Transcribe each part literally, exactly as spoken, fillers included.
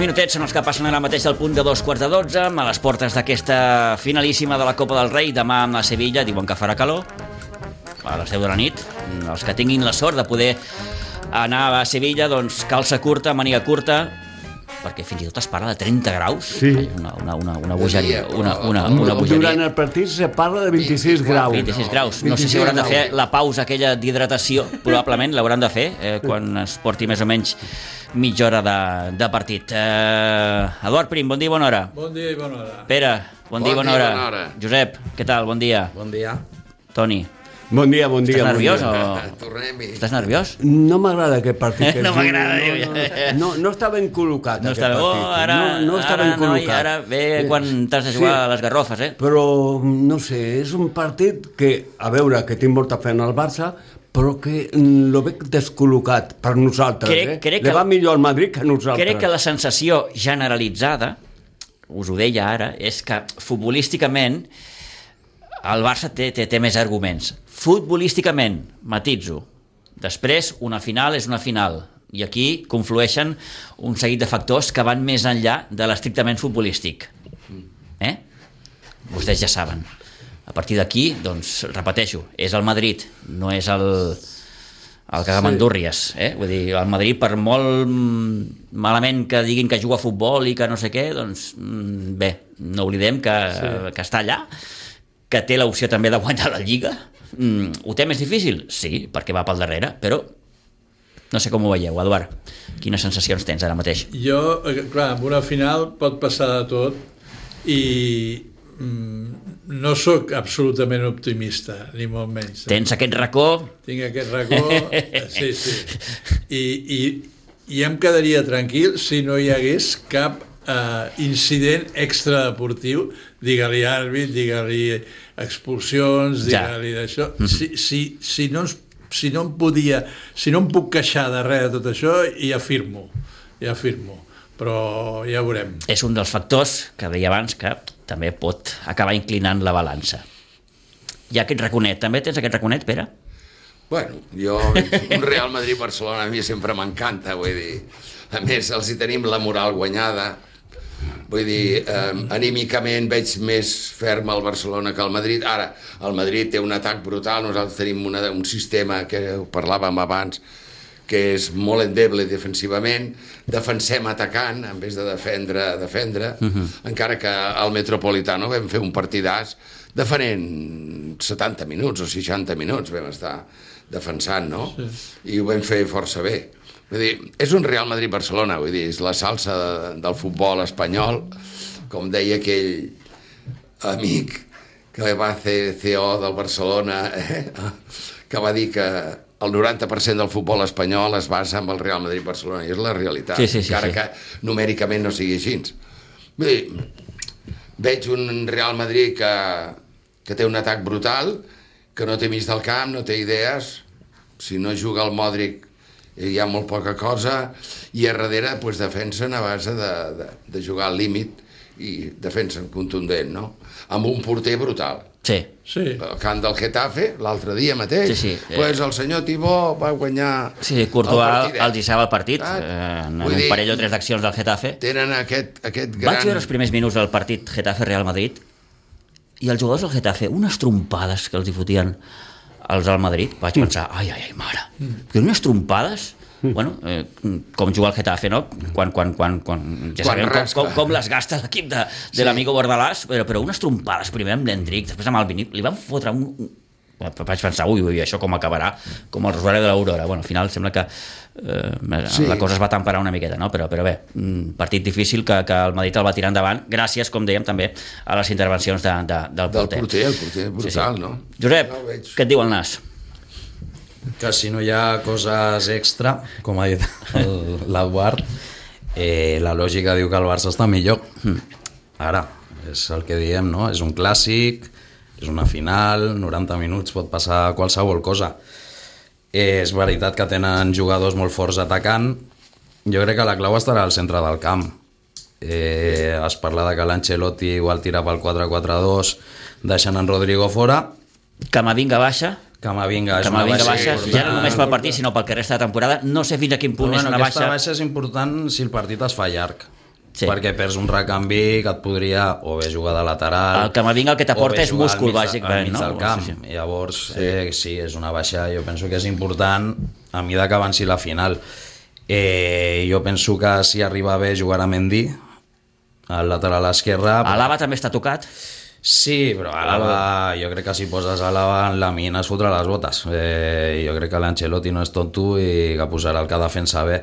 minutets són els que passen ara mateix del punt de dos quarts de dotze, a les portes d'aquesta finalíssima de la Copa del Rei. Demà a Sevilla, diuen que farà calor a les deu de la nit. Els que tinguin la sort de poder anar a Sevilla, doncs calça curta, màniga curta, perquè fins i tot es parla de trenta graus. Sí. Una, una, una, una bogeria. Una, una, una bogeria. Durant el partit se parla de vint-i-sis graus. vint-i-sis graus. No sé si hauran de fer la pausa aquella d'hidratació, probablement l'hauran de fer eh, quan es porti més o menys mitja hora de, de partit. Eh, Eduard Prim, bon dia i bona hora. Bon dia i bona hora. Pere, bon, bon dia i bona, dia, hora. bona hora. Josep, què tal? Bon dia. Bon dia. Toni. Bon dia, bon dia. Estàs nerviós bon o...? Tornem-hi. Estàs nerviós? No m'agrada aquest partit. No m'agrada, no, diu. no, no, no està ben col·locat No aquest està bé. partit. Oh, ara, no, no està ara, ben col·locat. noi, ara ve quan t'has de jugar Sí. a les garrofes, eh? Però, no sé, és un partit que, a veure, que tinc molta fe en el Barça, però que lo veig descol·locat per nosaltres, Crec- eh? crec Le que- va millor al Madrid que a nosaltres. Crec que la sensació generalitzada, us ho deia ara, és que futbolísticament el Barça té, té, té més arguments. Futbolísticament, matitzo. Després, una final és una final. I aquí conflueixen un seguit de factors que van més enllà de l'estrictament futbolístic. Eh? Vostès ja saben. A partir d'aquí, doncs, repeteixo, és el Madrid, no és el... el cagamandúrries, eh? Vull dir, el Madrid, per molt malament que diguin que juga a futbol i que no sé què, doncs bé, no oblidem que, sí. que està allà, que té l'opció també de guanyar la Lliga. Mm, ho té més difícil? Sí, perquè va pel darrere, però no sé com ho veieu, Eduard. Quines sensacions tens ara mateix? Jo, clar, en una final pot passar de tot i mm, no sóc absolutament optimista, ni molt menys. Tens aquest racó? Tinc aquest racó, sí, sí. I, i, i em quedaria tranquil si no hi hagués cap eh, incident extradeportiu, digue-li àrbit, digue-li expulsions, digue-li d'això. Si, si, si, no ens, si no em podia, si no em puc queixar de res de tot això, ja firmo, ja firmo. Però ja veurem. És un dels factors que deia abans que també pot acabar inclinant la balança. Hi ha aquest raconet. També tens aquest raconet, Pere? Bueno, jo, un Real Madrid-Barcelona a mi sempre m'encanta, vull dir, a més els hi tenim la moral guanyada, vull dir, eh, anímicament veig més ferm al Barcelona que al Madrid. Ara, el Madrid té un atac brutal, nosaltres tenim una, un sistema que parlàvem abans, que és molt endeble defensivament, defensem atacant en vez de defendre, defendre uh-huh. encara que al Metropolitano vam fer un partidàs defenent setanta minuts o seixanta minuts vam estar defensant, no? Sí. I ho vam fer força bé. Vull dir, és un Real Madrid-Barcelona, vull dir, és la salsa de, del futbol espanyol, com deia aquell amic que va fer C O del Barcelona, eh? que va dir que el noranta per cent del futbol espanyol es basa en el Real Madrid-Barcelona, i és la realitat, sí, sí, sí, encara sí. que numèricament no sigui així. Vull dir, veig un Real Madrid que, que té un atac brutal, que no té mig del camp, no té idees, si no juga el Modric hi ha molt poca cosa, i a darrere pues, defensen a base de, de, de jugar al límit i defensen contundent, no? Amb un porter brutal. Sí. Sí. El camp del Getafe, l'altre dia mateix, sí, sí. pues el senyor Tibó va guanyar sí, sí, Courtois els deixava el partit, ah, eh, en un un parell o tres d'accions del Getafe. Tenen aquest, aquest gran... Vaig veure els primers minuts del partit Getafe-Real Madrid i els jugadors del Getafe, unes trompades que els hi fotien els al Madrid, vaig pensar, ai, ai, ai, mare, que unes trompades... Bueno, eh, com jugar al Getafe, no? Quan, quan, quan, quan ja sabem com, com, com les gasta l'equip de, de sí. l'amigo Bordalàs, però, però unes trompades, primer amb l'Hendrick, després amb el Vinip, li van fotre un... un... Vaig pensar, ui, ui, això com acabarà, com el Rosario de l'Aurora. Bueno, al final sembla que eh, sí. la cosa es va temperar una miqueta, no? Però, però bé, un partit difícil que, que el Madrid el va tirar endavant, gràcies, com dèiem, també a les intervencions de, de, del porter. Del porter, el porter, brutal, sí, sí. No? Josep, no què et diu el nas? Que si no hi ha coses extra, com ha dit l'Eduard, eh, la lògica diu que el Barça està millor. Ara, és el que diem, no? És un clàssic, és una final, noranta minuts, pot passar qualsevol cosa. Eh, és veritat que tenen jugadors molt forts atacant. Jo crec que la clau estarà al centre del camp. Eh, es parla de que l'Ancelotti igual tira pel quatre quatre dos, deixant en Rodrigo fora. Camavinga baixa. Camavinga és Camavinga una baixa, baixa, ja no només pel partit, sinó pel que resta de temporada. No sé fins a quin punt bueno, és una aquesta baixa... baixa és important si el partit es fa llarg. Sí. perquè perds un recanvi que et podria o bé jugar de lateral... El Camavinga el que t'aporta o bé és jugar múscul, al mig de- bàsicament, al mig no? del camp. Sí, sí. Llavors, sí. Eh, sí, és una baixa, jo penso que és important a mesura que avanci la final. Eh, jo penso que si arriba bé jugarà Mendy, al lateral esquerre... Alaba també està tocat. Sí, però Alaba, jo crec que si poses Alaba en la mina es fotrà les botes. Eh, jo crec que l'Ancelotti no és tonto i que posarà el que defensa bé.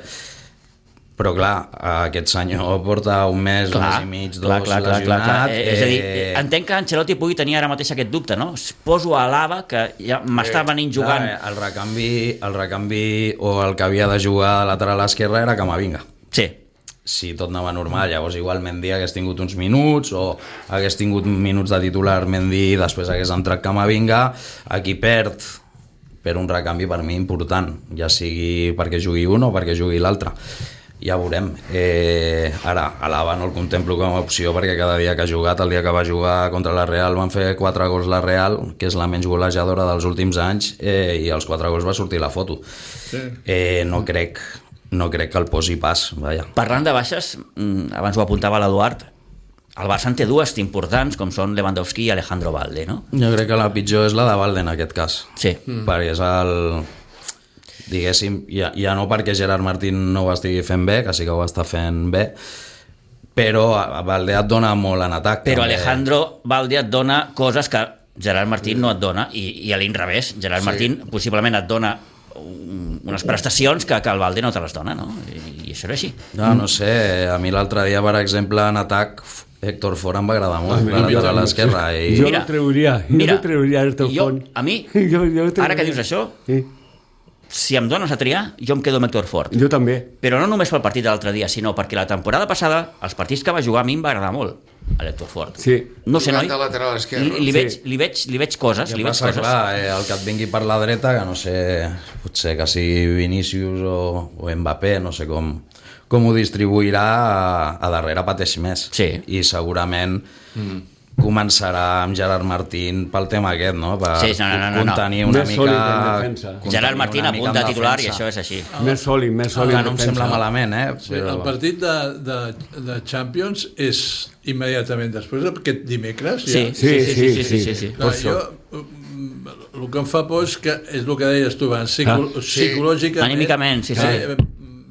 Però clar, aquest senyor porta un mes, clar, un mes i mig, dos, clar, clar, clar, clar, clar. Eh, és a dir, eh, entenc que Ancelotti pugui tenir ara mateix aquest dubte, no? Poso a Alaba, que ja m'està venint jugant... Clar, el recanvi, el recanvi o el que havia de jugar a lateral esquerra era Camavinga. Sí. Si tot anava normal, llavors igual Mendy hagués tingut uns minuts o hagués tingut minuts de titular Mendy, després hagués entrat Camavinga, aquí perd per un recanvi per mi important, ja sigui perquè jugui un o perquè jugui l'altre. Ja veurem. Eh, ara, Alaba no el contemplo com a opció perquè cada dia que ha jugat, el dia que va jugar contra la Real van fer quatre gols la Real, que és la menys golejadora dels últims anys, eh, i als quatre gols va sortir la foto. Sí. Eh, no crec no crec que el posi pas, vaja. Parlant de baixes, abans ho apuntava l'Eduard, el Barça en té dues importants, com són Lewandowski i Alejandro Valde, no? Jo crec que la pitjor és la de Valde en aquest cas. Sí. Mm. Perquè és el... Diguéssim, ja, ja no perquè Gerard Martín no ho estigui fent bé, que sí que ho està fent bé, però Valde et dona molt en atac. Però també. Alejandro Valde et dona coses que Gerard Martín no et dona, i, i a l'inrevés, Gerard Sí. Martín possiblement et dona unes prestacions que, que el Valde no te les dona, no? I, i això era així. No, no sé, a mi l'altre dia, per exemple, en atac, Héctor Ford em va agradar molt, Ah, a la l'esquerra. I... Jo Mira, no treuria, jo mira, no treuria el teu jo, font. a mi, jo, jo ara que dius això, sí. si em dones a triar, jo em quedo amb Héctor Ford. Jo també. Però no només pel partit de l'altre dia, sinó perquè la temporada passada, els partits que va jugar a mi em va agradar molt, a l'Héctor Ford. Sí. No sé, Jugant noi, de lateral esquerre. li, li, Sí. veig, li, veig, li veig coses, Ja li veig passa, coses. clar, eh, el que et vingui per la dreta, que no sé, potser que sigui Vinícius o, o Mbappé, no sé com, com ho distribuirà, a, a darrere pateix més. Sí. I segurament mm. començarà amb Gerard Martín pel tema aquest, no? Per Sí, no, no, no, no. contenir una Més mica... sòlid en defensa. contenir Gerard Martín una a mica punt en de titular defensa. i això és així. Més sòlid, més sòlid. Que no em defensa. sembla malament, eh? Sí, el partit de, de, de Champions és immediatament després d'aquest dimecres. Sí, Ja. sí, sí, sí, sí, sí, sí, sí. Clar, jo, mm, el que em fa por és que és el que deies tu abans, psico, Ah, sí. psicològicament, Anímicament, sí, sí. eh,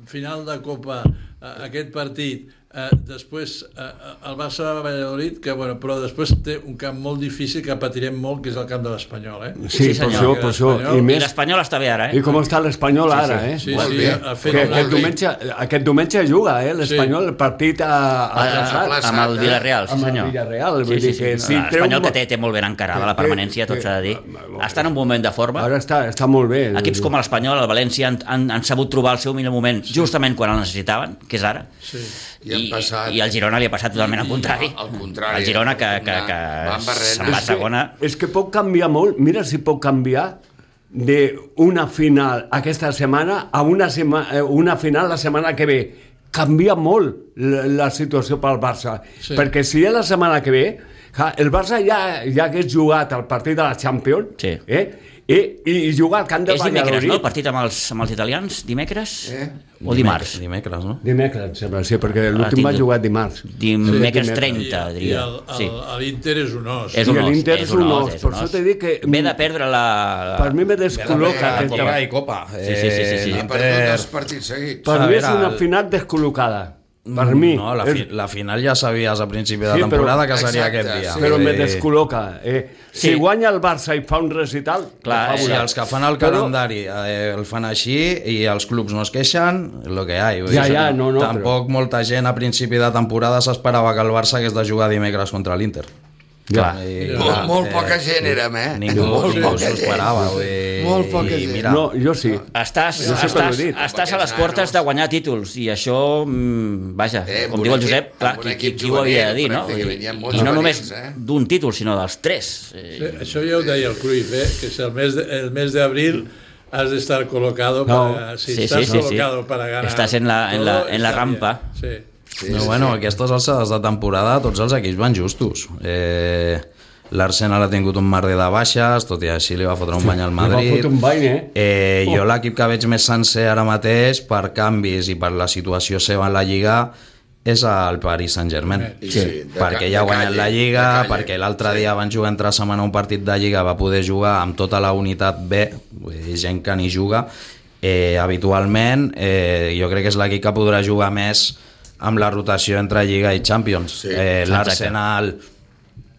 final de Copa, eh, aquest partit, eh, després eh, el Barça va a Valladolid, que, bueno, però després té un camp molt difícil que patirem molt, que és el camp de l'Espanyol, eh? Sí, Sí, per senyor. això, per això. L'Espanyol- I I més, l'Espanyol està bé ara, eh? i com està l'Espanyol ara, eh? Sí, Molt sí, bé. ha fet Que una... aquest diumenge, aquest diumenge juga, eh? L'Espanyol, el partit a, a, A- a, plaça. amb el Villarreal, sí Amb el senyor. Villarreal, vull sí, dir sí, sí. que si No, treu L'Espanyol un- que té, té molt ben encarada la que- permanència, tot que- s'ha de dir. que- Està en un moment de forma. Ara està, està molt bé. Equips com l'Espanyol, el València, han, han, han sabut trobar el seu millor moment justament quan el necessitaven, que és ara. Sí. I han passat- i el Girona li ha passat totalment al contrari. Al contrari. El Girona que, que, que Van barrent. se'n va a És que- segona. És que pot canviar molt. Mira si pot canviar d'una final aquesta setmana a una, sema, eh, una final la setmana que ve. Canvia molt la, la situació pel Barça. Sí. Perquè si és la setmana que ve, ja, el Barça ja, ja hagués jugat el partit de la Champions, Sí. eh? I, i jugar al camp de És dimecres, no? El Valladolid. partit amb els, amb els italians? Dimecres? Eh? O dimarts? Dimecres, no? Dimecres, em sembla, sí, perquè Ah, l'últim va tinc- jugar dimarts. Dimecres Sí, trenta, I, i diria. el, el, Sí. l'Inter és un os. És I un os, l'Inter és és un un os, os, és per un això os. t'he dit que- Ve de perdre la... Per mi me descol·loca aquesta... Lliga i Copa. Sí, sí, sí, sí, sí. Ha perdut dos partits seguits. Per A mi és veure, una el- final descol·locada. Per mi. No, la, fi, És- la final ja sabies a principi de Sí, temporada però- que seria Exacte, aquest dia. sí. Però me Eh, descol·loca. Eh, si Sí. guanya el Barça i fa un recital, Clar, ho fa eh, Si volar. els que fan el Però- calendari eh, el fan així i els clubs no es queixen, el que hi ha. Vull Ja, dir, ja, no, no, tampoc molta gent a principi de temporada s'esperava que el Barça hagués de jugar dimecres contra l'Inter. Clar. I, Molt, clar, molt poca gent érem, eh? Ningú, Molt ningú poca s'ho gent. esperava. Vull dir, Molt poca i gent. Mira, No, jo sí. Estàs, Jo sempre estàs, ho he dit. estàs a les Aquests portes nanos. de guanyar títols i això, mm, vaja, Eh, com amb diu un el Josep, equip- clar, amb un qui, qui, equip qui ho havia de dir, no? juvenil, pràcticament, hi ha molts I no només juvenils, eh? d'un títol, sinó dels tres. Eh, Sí, això ja ho deia el Cruyff, eh? Que si el mes de, el mes de abril has de estar colocado No. para, si Sí, estás sí, sí, sí. colocado para ganar. Estás en la- en la- todo, en la está bien. rampa. Sí. Sí, no, sí, bueno, sí. aquestes alçades de temporada tots els equips van justos. Eh, L'Arsenal ha tingut un merder de baixes, tot i així li va fotre un bany al Li va Madrid. fotre un bany, eh? Eh, Oh. jo l'equip que veig més sencer ara mateix per canvis i per la situació seva en la Lliga és el Paris Saint-Germain. Sí, sí, de perquè ca- ja ha de guanyat calle, la Lliga, de calle. perquè l'altre Sí. dia van jugar entre setmana un partit de Lliga, va poder jugar amb tota la unitat B, vull dir, gent que ni juga, eh, habitualment, eh, jo crec que és l'equip que podrà jugar més amb la rotació entre Lliga i Champions. Sí, eh, L'Arsenal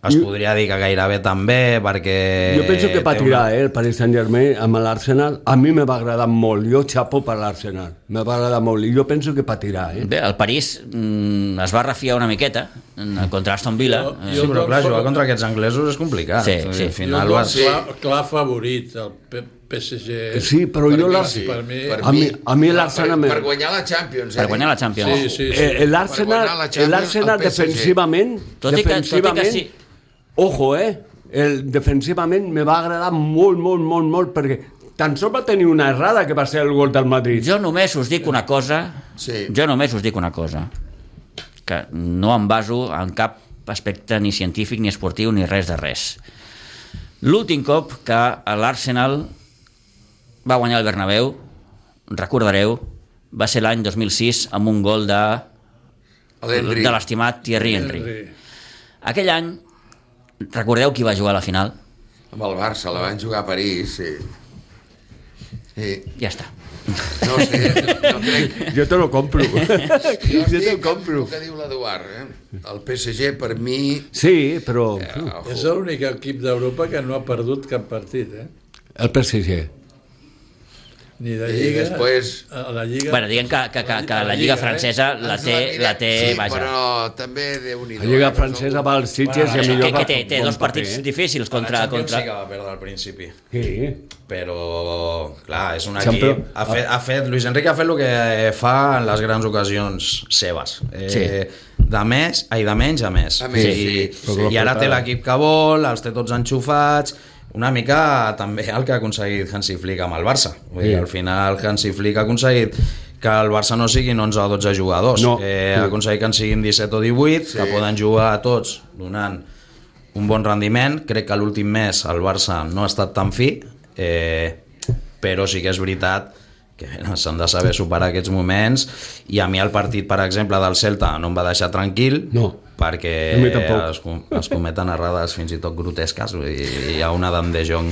es Jo- podria dir que gairebé també, perquè... Jo penso que té patirà, una- eh, el Paris Saint-Germain amb l'Arsenal. A mi me va agradar molt. Jo xapo per l'Arsenal. Me va agradar molt. I jo penso que patirà, eh? Bé, el París mm, es va refiar una miqueta mm, contra Aston Villa. Jo- Eh, Sí, però clar, jugar contra aquests anglesos és complicat. Sí, sí. Al final jo vas... clar, clar favorit, el P- PSG. Sí, però Per jo mi, la... sí. per mi- Per a mi- a mi l'Arsenal per, me- per guanyar la Champions, eh? Per guanyar la Champions. Sí, sí, sí. Eh, Per L'Arsenal guanyar la Champions, l'Arsenal el P S G. defensivament, Tot i que- tot i que defensivament sí. ojo, eh? El, defensivament me va agradar molt, molt, molt, molt, perquè tan sols va tenir una errada que va ser el gol del Madrid. Jo només us dic una cosa, Sí. jo només us dic una cosa, que no em baso en cap aspecte ni científic, ni esportiu, ni res de res. L'últim cop que l'Arsenal va guanyar el Bernabéu, recordareu, va ser l'any dos mil sis amb un gol de, L'Henry. de l'estimat Thierry Henry. Henry. Aquell any, recordeu qui va jugar a la final? Amb el Barça, la van jugar a París, sí. Sí. Ja està. No sé, no crec... Jo te lo compro. Jo jo te lo estic amb compro. el que diu l'Eduard, eh? El P S G, per mi... Sí, però Eh, ojo. És l'únic equip d'Europa que no ha perdut cap partit, eh? el P S G. Ni de I Lliga... després- A la Lliga... Bueno, diguem que, que, que, que la Lliga francesa la Ens té, mirem, la té, sí, vaja. però també Déu-n'hi-do. La Lliga eh? francesa va als Sitges i Que, a millor que va té, fer té bon dos paper, partits eh? difícils Contra contra... la Champions contra... sí que va perdre al principi. Sí. Però, clar, és un Sempre- equip... Ha fet, ha fet, Luis Enrique ha fet el que fa en les grans ocasions seves. Eh, Sí. De més, ai, de menys a més. A més, I, sí, sí. I ara té l'equip que vol, els té tots enxufats, una mica també el que ha aconseguit Hansi Flick amb el Barça. Vull dir, Sí. al final Hansi Flick ha aconseguit que el Barça no siguin onze o dotze jugadors, No. eh, Sí. ha aconseguit que en siguin disset o divuit, Sí. que poden jugar tots donant un bon rendiment. Crec que l'últim mes el Barça no ha estat tan fi, eh, però sí que és veritat que bueno, s'han de saber superar aquests moments, i a mi el partit, per exemple, del Celta no em va deixar tranquil, No. perquè A mi tampoc. es, com- es cometen errades fins i tot grotesques. Vull dir, hi ha una d'en De Jong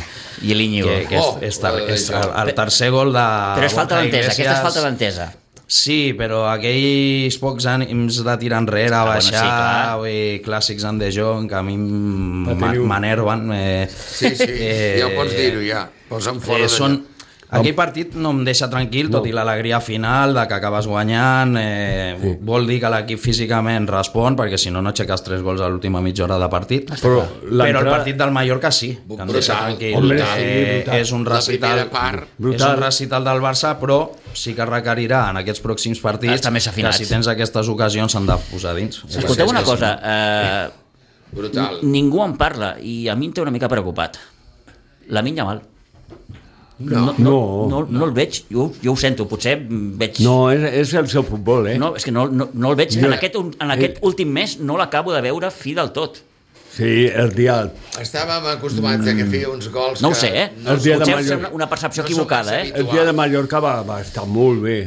I l'Iñigo. que, que és, Oh, és, tar, la de és De el, Jong. el tercer gol de Però és falta Borja d'entesa, aquesta és Iglesias. falta d'entesa. Sí, però aquells pocs ànims de tirar enrere, Ah, bueno, baixar, sí, clar. vull dir, clàssics en De Jong, que a mi m- Va tenir un- m'enerven. Eh, Sí, sí, ja ho pots dir-ho, ja. Posa'm fora eh, de són, lloc. aquell partit no em deixa tranquil, tot No. i l'alegria final de que acabes guanyant. Eh, Sí. Vol dir que l'equip físicament respon, perquè si no, no aixeques tres gols a l'última mitja hora de partit. Però Però el l'entrada- partit del Mallorca sí, que em deixa Brutal, tranquil. Hombre, Eh, sí, brutal. és un La recital, primera part, és brutal. un recital del Barça, però sí que requerirà en aquests pròxims partits Estar més afinats. que si tens aquestes ocasions s'han de posar dins. Escolteu una És que si cosa, no- eh, Brutal. ningú en parla i a mi em té una mica preocupat. Lamine Yamal. No. No. No, no el veig, jo, jo ho sento, potser veig... No, és, és el seu futbol, eh? No, és que no, no, no el veig. Jo- En aquest, en aquest últim mes no l'acabo de veure fi del tot. Sí, el dia... Estàvem acostumats a que feia uns gols No ho que sé, eh? El dia de Potser Mallorca. és una, una percepció No som equivocada, massa eh? El dia de Mallorca va, va estar molt bé.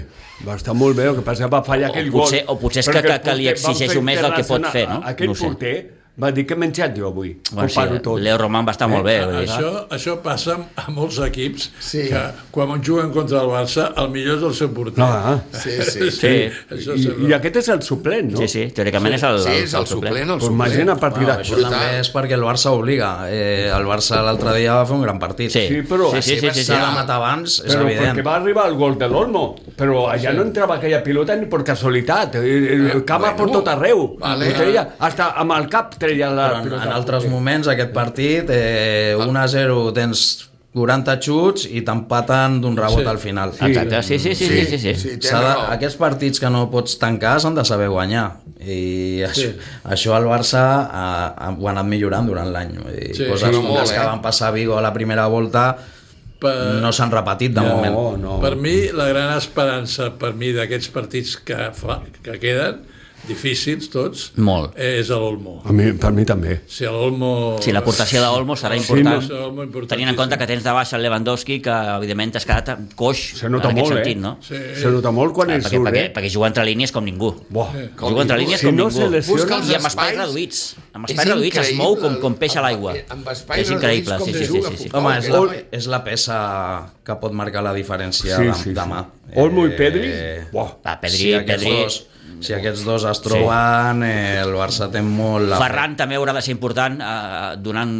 Va estar molt bé, el que passa que va fallar O aquell potser- gol. o potser és que- Perquè el que- que li porter- van exigeixo fer més del que pot fer, no? Aquell No ho sé. porter va dir que he menjat jo avui. Bueno, Ho paro sí, tot. Leo Roman va estar molt bé. vull dir. Això, això passa a molts equips Sí. que quan juguen contra el Barça el millor és el seu porter. Ah, Sí, sí. Sí. Això I, sempre. I aquest és el suplent, no? Sí, sí, teòricament és el, Sí, és el suplent, el Pues suplent. imagina a partir Bueno, de... això Brutal. també és perquè el Barça obliga. Eh, el Barça l'altre dia va fer un gran partit. Sí, Sí, però- sí, sí, sí, sí, sí. S'ha de matar abans, és Però evident. perquè va arribar el gol de l'Olmo. Però allà no entrava aquella pilota ni per casualitat. El, el cama bueno, per tot arreu. vale. Ho treia, hasta amb el cap treia la Però en, pilota. en altres moments aquest partit eh, un a zero tens quaranta xuts i t'empaten d'un rebot Sí. al final. Exacte, sí, sí, sí, sí, sí, sí. sí, tens S'ha de, raó. aquests partits que no pots tancar s'han de saber guanyar, i això, Sí. això el Barça ha, ha, ho ha anat millorant durant l'any. Vull dir, Sí, coses sí, com molt, les que eh? van passar a Vigo a la primera volta Per, no s'han repetit de moment. No, no. per mi, la gran esperança per mi d'aquests partits que, fa, que queden difícils tots, Molt. és l'Olmo. A mi, per mi també. Si l'Olmo... Sí, l'aportació d'Olmo serà important, Sí, no, tenint en compte que tens de baixa el Lewandowski, que evidentment t'has quedat coix Se nota en aquest molt, sentit, eh? no? Sí. Se nota molt quan Ah, ell perquè, surt, perquè, eh? perquè juga entre línies com ningú. Buah. Juga entre línies Si com no ningú. se lesiona... Busca els I amb espais espais. reduïts. Amb És espais reduïts es mou com, com peix a increïble. l'aigua. Amb espais És increïble, reduïts com sí, sí, se sí, juga sí, sí. a Home, és futbol, la, eh? és la peça que pot marcar la diferència Sí, de, sí, sí. demà. Olmo i Pedri? Buah. Va, Pedri, si, aquests Pedri... dos, si aquests dos es troben, eh, el Barça té molt... La Ferran també haurà de ser important eh, donant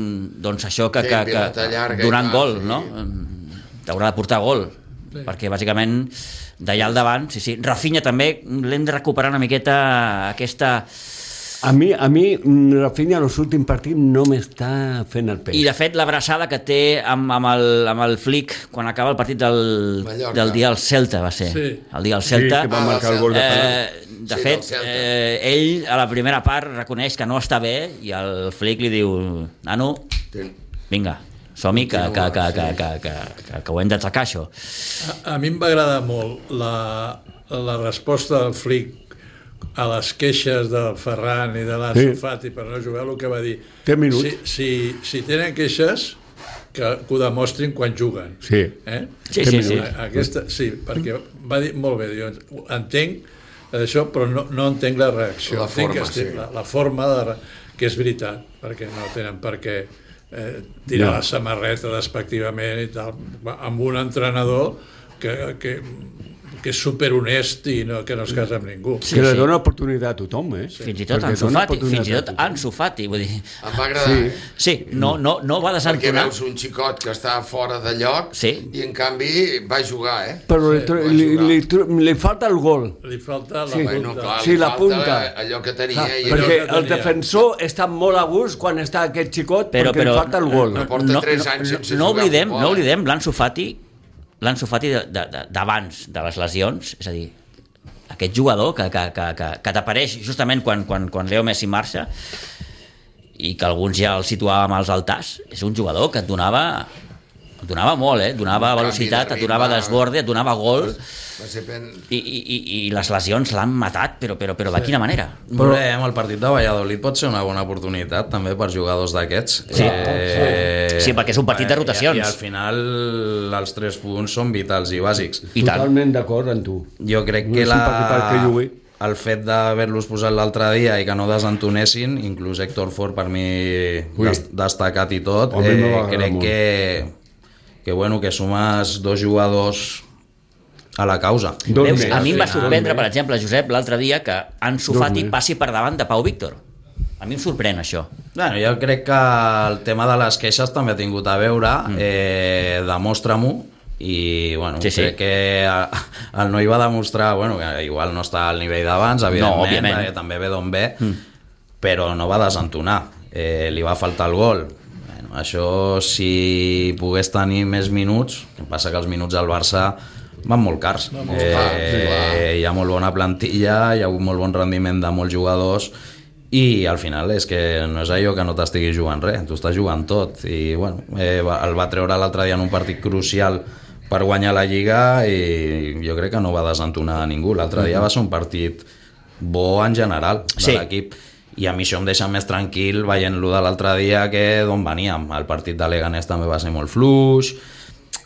doncs, això que, Sí, que, que, pilota llarga i donant tal, gol, sí. no? T'haurà de portar gol, sí. Perquè bàsicament d'allà al davant, sí, sí. Rafinha també l'hem de recuperar una miqueta aquesta... A mi, a mi Rafinha en els últims partits no m'està fent el peix. I de fet l'abraçada que té amb, amb, el, amb el Flick quan acaba el partit del, Mallorca. del dia del Celta, va ser. Sí. El dia del Celta. Sí, que va Ah, marcar el gol de penal. Eh, de Sí, fet, del Celta. eh, ell a la primera part reconeix que no està bé i el Flick li diu: nano, Ten- vinga, som-hi, que, que, que, que, Sí. que, que, que, que ho hem d'atracar, això. A, a mi em va agradar molt la, la resposta del Flick a les queixes del Ferran i de l'Ansu Sí. Fati per no jugar, el que va dir. Té minuts. Si, si, si tenen queixes, que, que ho demostrin quan juguen. Sí. Eh? Sí, sí, sí. Aquesta, sí, perquè va dir molt bé, jo entenc això, però no, no entenc la reacció. La entenc forma, que estic, sí. la, la forma de, re- que és veritat, perquè no tenen per què eh, tirar No. la samarreta despectivament i tal, amb un entrenador que, que, que és superhonest i no, que no es casa amb ningú. Sí, que li sí. dona oportunitat a tothom, eh? Fins i tot Perquè Ansu dona Fati, oportunitat fins i tot a tothom. Ansu Fati, vull dir... Em va agradar, Sí. eh? Sí, no, no, no va Perquè desentonar. veus un xicot que està fora de lloc Sí. i en canvi va jugar, eh? Però li, tro- va li, jugar. li, tro- li falta el gol. Li falta la Sí. punta. Bueno, clar, Sí, li la falta punta. allò que tenia. Clar, i perquè que el tenia. defensor està molt a gust quan està aquest xicot Però, perquè però, li falta el gol. no, porta tres anys sense no jugar a oblidem, futbol, no eh? oblidem l'Ansu Fati, l'Ansu Fati de- de- de- d'abans de les lesions, és a dir, aquest jugador que, que, que, que, que t'apareix justament quan, quan, quan Leo Messi marxa i que alguns ja el situàvem als altars, és un jugador que et donava et donava molt, eh? Et donava Un canvi velocitat, de et donava ritme. desborde, et donava gol, Va ser pen... i, i, i, i les lesions l'han matat, però, però, però de quina manera? Però veurem, el partit de Valladolid pot ser una bona oportunitat també per jugadors d'aquests. Sí. Eh, Sí, perquè és un partit de rotacions. I, I al final els tres punts són vitals i bàsics. I tant. Totalment d'acord amb tu. Jo crec No que és un partit per què jugui. el fet d'haver-los posat l'altre dia i que no desentonessin, inclús Héctor Ford per mi Ui. des, destacat i tot, A mi eh, m'ha agradat crec molt. que, que, bueno, que sumes dos jugadors a la causa. Dos Veus, més. a mi em va Al final, sorprendre, dos per més. exemple, Josep, l'altre dia que Ansu Dos Fati més. passi per davant de Pau Víctor. A mi em sorprèn això. Bueno, jo crec que el tema de les queixes també ha tingut a veure, mm. eh, demostra-m'ho, i bueno, Sí, sí. crec que el noi va demostrar, bueno, que igual no està al nivell d'abans, evidentment, òbviament. perquè també ve d'on ve, mm. però no va desentonar, eh, li va faltar el gol. Bueno, això, si pogués tenir més minuts, el que passa que els minuts al Barça van molt cars. molt cars, sí, clar. Eh, hi ha molt bona plantilla, hi ha hagut molt bon rendiment de molts jugadors, i al final és que no és allò que no t'estigui jugant res, tu estàs jugant tot, i bueno, eh, va- el va treure l'altre dia en un partit crucial per guanyar la Lliga i jo crec que no va desentonar a ningú. L'altre dia va ser un partit bo en general de Sí. l'equip, i a mi això em deixa més tranquil veient-lo de l'altre dia que d'on veníem. El partit de Leganés també va ser molt fluix,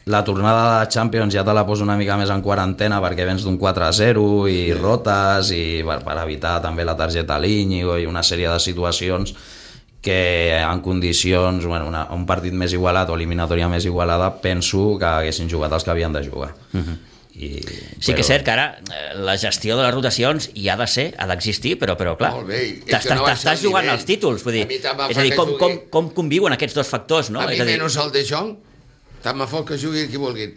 la tornada de Champions ja te la poso una mica més en quarantena perquè vens d'un quatre a zero i rotes i per, per evitar també la targeta a l'Íñigo i una sèrie de situacions que en condicions, bueno, una, un partit més igualat o eliminatòria més igualada, penso que haguessin jugat els que havien de jugar. Uh-huh. I, Sí que és cert que ara eh, la gestió de les rotacions hi ha de ser, ha d'existir, però, però clar, Molt bé, i és t'estàs que no baixa t'estàs el jugant nivell. als títols, vull dir, A mi tant me és fa a dir, que com, com, jugui- com conviuen aquests dos factors, no? A mi És a dir, menys el De Jong, tant me fot que jugui qui vulguin.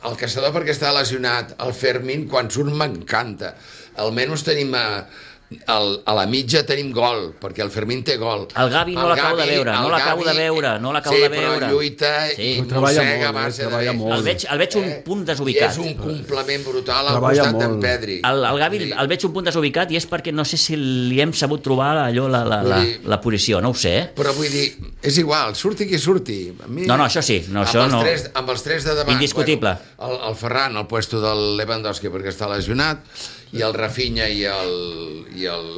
El caçador perquè està lesionat, el Fermín quan surt m'encanta. Almenys tenim a, el, a la mitja tenim gol, perquè el Fermín té gol. El Gavi no l'acabo de veure, no el l'acabo de Gavi- veure, no l'acabo sí, de veure. però lluita Sí. i Treballa mossega a molt, base eh, de treballa bé. molt. el veig, el veig un Eh? punt I desubicat. és un complement brutal al Treballa costat d'en molt. Pedri. El, el Gavi Sí. el veig un punt desubicat i és perquè no sé si li hem sabut trobar allò, la, la, la, Vull dir- la posició, no ho sé, eh? Però vull dir, és igual, surti qui surti. A mi, No, no, això sí, no, amb això els no. Tres, amb els tres de davant. Indiscutible. Bueno, el, el Ferran, el puesto del Lewandowski perquè està lesionat, i el Rafinha i el i el,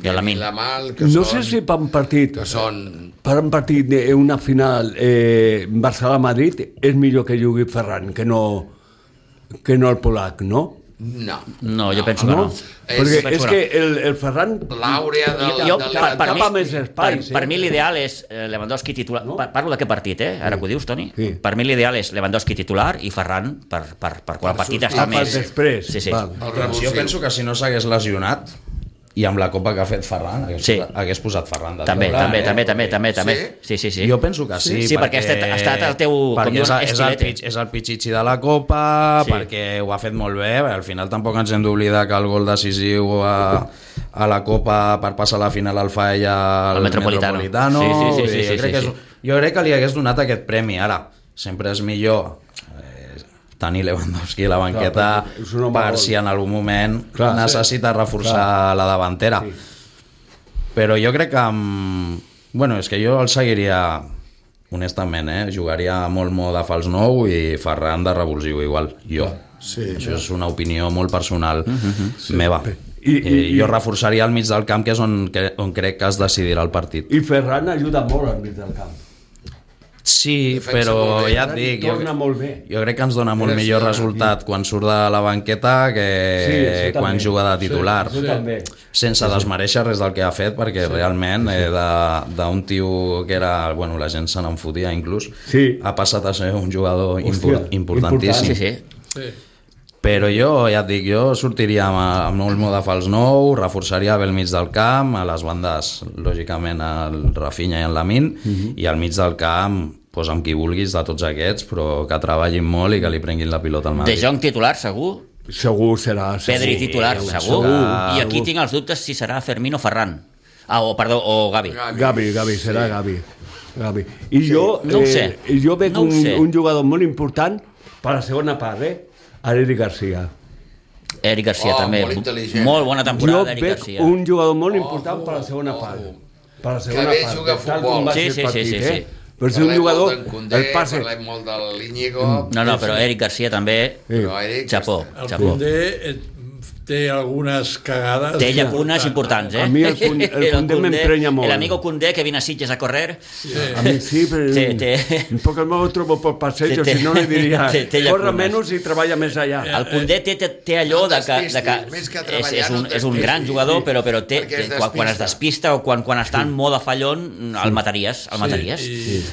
I el Lamine. Lamal, que No són, sé si per un partit, que són per un partit d'una final eh, Barcelona-Madrid és millor que jugui Ferran que no, que no el Polac, no? no, No, jo penso que No? no. Perquè penso és que que el, el Ferran l'àurea del, Jo, del, per, per, cap mi, a més espai, per, sí. per mi l'ideal és eh, Lewandowski titular. No? Pa- Parlo d'aquest partit, eh? Ara que ho dius, Toni. Sí. Per mi l'ideal és Lewandowski titular i Ferran per, per, per quan el partit està Ah, per més... després. Sí, sí. Val. el Jo revulsiu. penso que si no s'hagués lesionat i amb la copa que ha fet Ferran hagués, Sí. posat, hagués posat Ferran de També, titular, també, eh? també, també, també, també. Sí? Sí, sí, sí. Jo penso que sí, Sí, perquè ha estat- ha estat el teu, com perquè diuen, és, el- és, el, estilete. pitx- és el pitxitxi de la Copa, Sí. perquè ho ha fet molt bé, al final tampoc ens hem d'oblidar que el gol decisiu a, a la Copa per passar a la final el fa ella al El Metropolitano. Metropolitano. Sí, sí, sí, sí, jo, sí, crec sí, que és, sí. jo crec que li hagués donat aquest premi, ara, sempre és millor eh, tenir Lewandowski a la banqueta perquè és un home per gol. si en algun moment Clar, necessita reforçar la davantera. Sí. Però jo crec que amb... bueno, és que jo el seguiria honestament, eh? Jugaria molt mo de fals nou i Ferran de revulsiu igual, jo. Sí, Això és una opinió molt personal Mm-hmm. meva. I- i- eh, jo i- reforçaria al mig del camp, que és on, que, on crec que es decidirà el partit. I Ferran ajuda molt al mig del camp. Sí, Defensa però molt bé. ja et dic, jo, Torna molt bé. jo crec que ens dona molt Gràcies. millor resultat quan surt de la banqueta que Sí, sí, quan també. juga de titular. Jo també. Sense desmereixer res del que ha fet, perquè sí, realment eh, de- d'un tio que era, bueno, la gent se n'enfotia inclús, Sí. ha passat a ser un jugador impor Hòstia, importantíssim. Sí, sí. sí. Però jo, ja et dic, jo sortiria amb, amb molt mo de fals nou, reforçaria bé el mig del camp, a les bandes, lògicament, el Rafinha i el Lamine, Mhm. i al mig del camp, pues, amb qui vulguis de tots aquests, però que treballin molt i que li prenguin la pilota al De Madrid. Jong titular, segur. Segur serà. Segur. Pedri titular, segur, segur. segur. I aquí tinc els dubtes si serà Fermín o Ferran. Ah, o, perdó, o Gavi. Gavi, Gavi, serà Gavi. Gavi. I jo, no ho sé. eh, jo veig No ho un, sé. un jugador molt important per la segona part, eh? Eric Garcia. Eric Garcia, Oh, també. molt intel·ligent. Molt bona Jo temporada d'Eric veig Garcia. un jugador molt important per la segona part. Per la segona bé part. juga a de tal futbol. com va Sí, ser el sí, partit, sí, sí, eh? sí. Però si un Parlem jugador, molt d'en Koundé, el passe... parlem molt de l'Iñigo... No, no, però Eric Garcia també... Sí. Però Eric, Xapó, El xapó. Koundé eh, té algunes cagades. Té llacunes importants, eh? A mi el Koundé- el Koundé m'emprenya molt. El amigo Koundé que viene a Sitges a correr. A mi sí, però... Té- té- Porque me lo trobo por passeig, Té- si no li diria, té- té corre llacunes. menys i treballa més allà. El Koundé té, té, té allò No de que, de despistis, que, més que és, treballar, és, un, no és un gran despistis. jugador, però, però té, Perquè es té quan, quan es despista. despista o quan, quan està en moda fallon, el mataries, el mataries. i-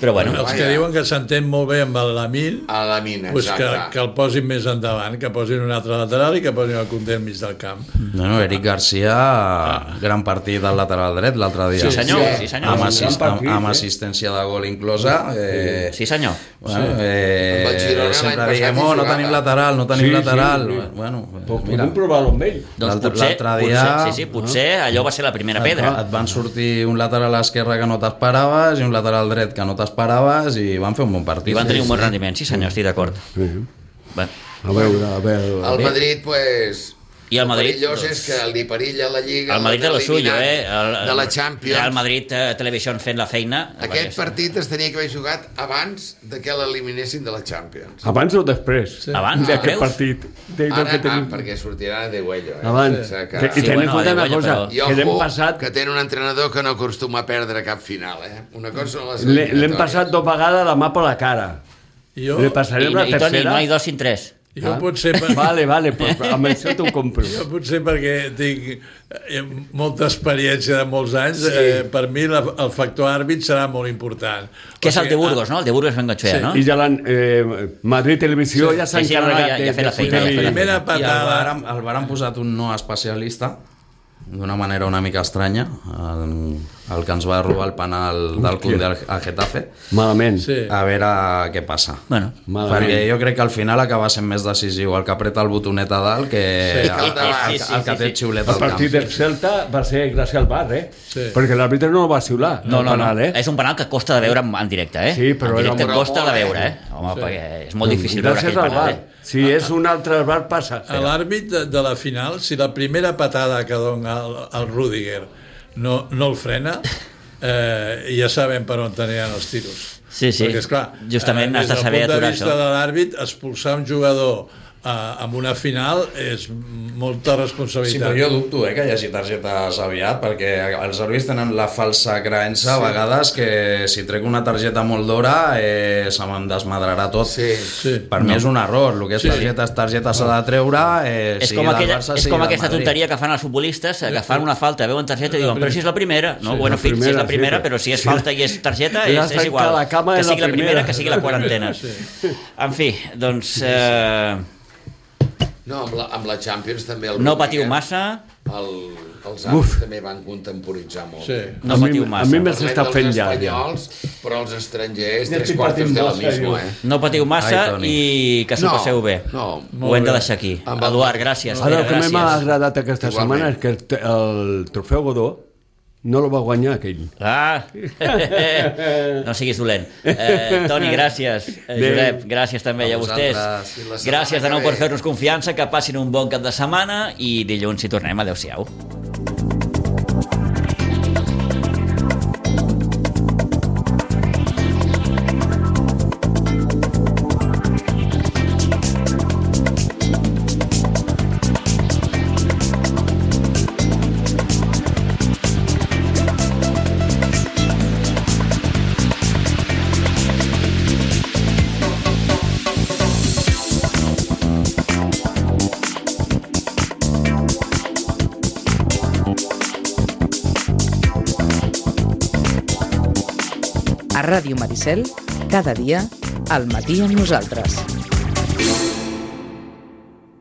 Però bueno, Els que diuen que s'entén molt bé amb el Lamine, A la mina, pues que, exacte. que el posin més endavant, que posin un altre lateral i que posin el Koundé al mig del camp. Bueno, Eric Garcia, gran partit del lateral dret l'altre dia. Sí, senyor, sí, senyor. Amb, Sí, assist, gran amb, partit, amb eh? assistència de gol inclosa. Eh, sí senyor. Bueno, eh, Amb el Girona sempre l'any diem, passat oh, hi no jugava. tenim lateral, no tenim Sí, sí, lateral. sí. Bueno, Pues mira, podem provar-lo amb ell. Doncs L'altre- potser, l'altre dia- potser, sí, sí, potser allò va ser la primera pedra. et van sortir un lateral esquerre que no t'esperaves i un lateral dret que no t'esperaves i van fer un bon partit. I van tenir un bon Sí, sí. rendiment, sí senyor, estic d'acord. Sí. Bueno. A veure, a veure... El Madrid, pues... I el Madrid, perillós doncs, és que li perilla la Lliga... El Madrid de lo suyo, eliminat eh? El, de la Champions. El Madrid eh, Televisió fent la feina. Aquest partit es tenia que haver jugat abans de que l'eliminessin de la Champions. Abans o després? Sí. Abans, D'aquest creus? partit. De, del Ara, que ah, tenim... perquè sortirà de Güello. Eh? Abans. O sigui Que, que... I Sí, ten en bueno, compte una de cosa, Güello, I que l'hem ojo, passat... que té un entrenador que no acostuma a perdre cap final, eh? Una cosa són les L'he- L'hem eliminatòries. passat dos vegades la mà per la cara. Jo, Le I, passarem la i Toni, tercera. no hi dos sin tres. jo potser... Per... Vale, vale, pues amb això t'ho compro. Jo potser perquè tinc eh, molta experiència de molts anys, sí. eh, per mi la, el factor àrbit serà molt important. Que O és el sigui, de Burgos, no? El de Burgos Bengochea, Sí. no? I ja l'han... Eh, Madrid Televisió ja s'ha Sí, sí, no, no, encarregat ja- ja de, ha fet la de feina, ja ha fotre-li- fet la Primera I el patada... Bar, han- el Bar han posat un no especialista d'una manera una mica estranya, el, el que ens va robar el penal del Koundé al, al Getafe. Malament. Sí. A veure què passa. Bueno, Malament. Perquè jo crec que al final acaba sent més decisiu el que apreta el botonet a dalt que Sí, el, el, sí, el, sí, el que sí, té sí. el xiulet El al camp. partit del Celta va ser gràcies al bar, eh? Sí. Perquè l'àrbitre no el va xiular. no, el no, no. penal, eh? És un penal que costa de veure en, en directe, eh? Sí, però en directe era molt costa de molt, veure, eh? eh? Home, Sí. perquè és molt difícil veure Gràcies aquell al penal, bar. eh? Si és un altre bar, passa. L'àrbit de, de la final, si la primera patada que dona el, el Rüdiger no, no el frena, eh, ja sabem per on aniran els tiros. Sí, sí. Perquè, esclar, Justament has de des del saber punt de aturar vista això. de l'àrbit, expulsar un jugador uh, en una final és molta responsabilitat. Sí, però jo dubto eh, que hi hagi targetes aviat, perquè els àrbitres tenen la falsa creença a vegades que si trec una targeta molt d'hora eh, se me'n desmadrarà tot. Sí, sí. Per mi és un error, el que és targeta és targeta, s'ha de treure, eh, És sigui com, del aquella, Barça, és sigui com del aquesta Madrid. tonteria que fan els futbolistes, que fan una falta, veuen targeta i diuen, però si és la primera. No, Sí, bueno, la fill, si és la primera, primera, sí. però si és falta i és targeta, Ja és, saps és igual. que la cama Que és la sigui la primera, primera. que sigui la quarantena. En fi, doncs... Eh, No, amb la, amb la Champions també... El no patiu Rodríguez, massa, El, els àrbitres també van contemporitzar molt. Sí. no A mi- patiu a massa. mi m'es- s'està Parlem fent dels ja, ja. espanyols, però els estrangers, Ja tres estic quartos patint de lo massa, mismo, jo. eh? No patiu massa Ai, Toni. i que s'ho No, passeu bé. no, Ho hem de deixar aquí. Amb el- Eduard, gràcies. Ara, el que gràcies. m'ha agradat aquesta Igualment. setmana és que el, te- el trofeu Godó no el va guanyar aquell. Ah, no siguis dolent. Eh, Toni, gràcies. Eh, Adéu. Josep, gràcies també A a vostès. vosaltres. I la setmana Gràcies de nou que per ve. fer-nos confiança, que passin un bon cap de setmana i dilluns hi tornem. Adéu-siau. A Ràdio Maricel, cada dia, al matí amb nosaltres.